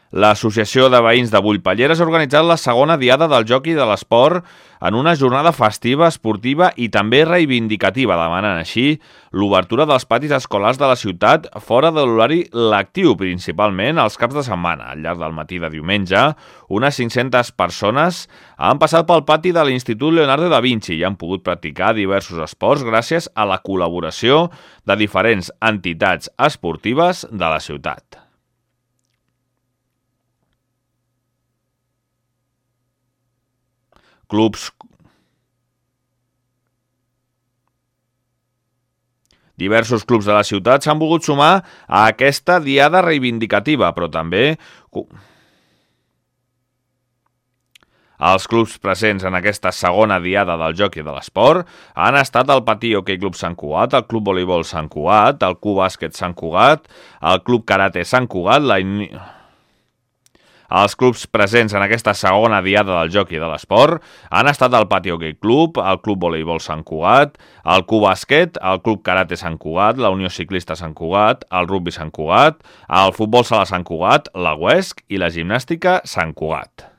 L'Associació de Veïns de Bullpelleres ha organitzat la segona diada del joc i de l'esport en una jornada festiva, esportiva i també reivindicativa, demanant així l'obertura dels patis escolars de la ciutat fora de l'horari lectiu, principalment els caps de setmana. Al llarg del matí de diumenge, unes 500 persones han passat pel pati de l'Institut Leonardo da Vinci i han pogut practicar diversos esports gràcies a la col·laboració de diferents entitats esportives de la ciutat. Diversos clubs de la ciutat s'han volgut sumar a aquesta diada reivindicativa, però també els clubs presents en aquesta segona diada del joc i de l'esport han estat el Patí Hoquei Club Sant Cugat, el Club Voleibol Sant Cugat, el Club Bàsquet Sant Cugat, el Club Karate Sant Cugat, Els clubs presents en aquesta segona diada del joc i de l'esport han estat el Patí Hoquei Club, el Club Voleibol Sant Cugat, el Club Bàsquet, el Club Karate Sant Cugat, la Unió Ciclista Sant Cugat, el Rugbi Sant Cugat, el Futbol Sala Sant Cugat, la UESC i la Gimnàstica Sant Cugat.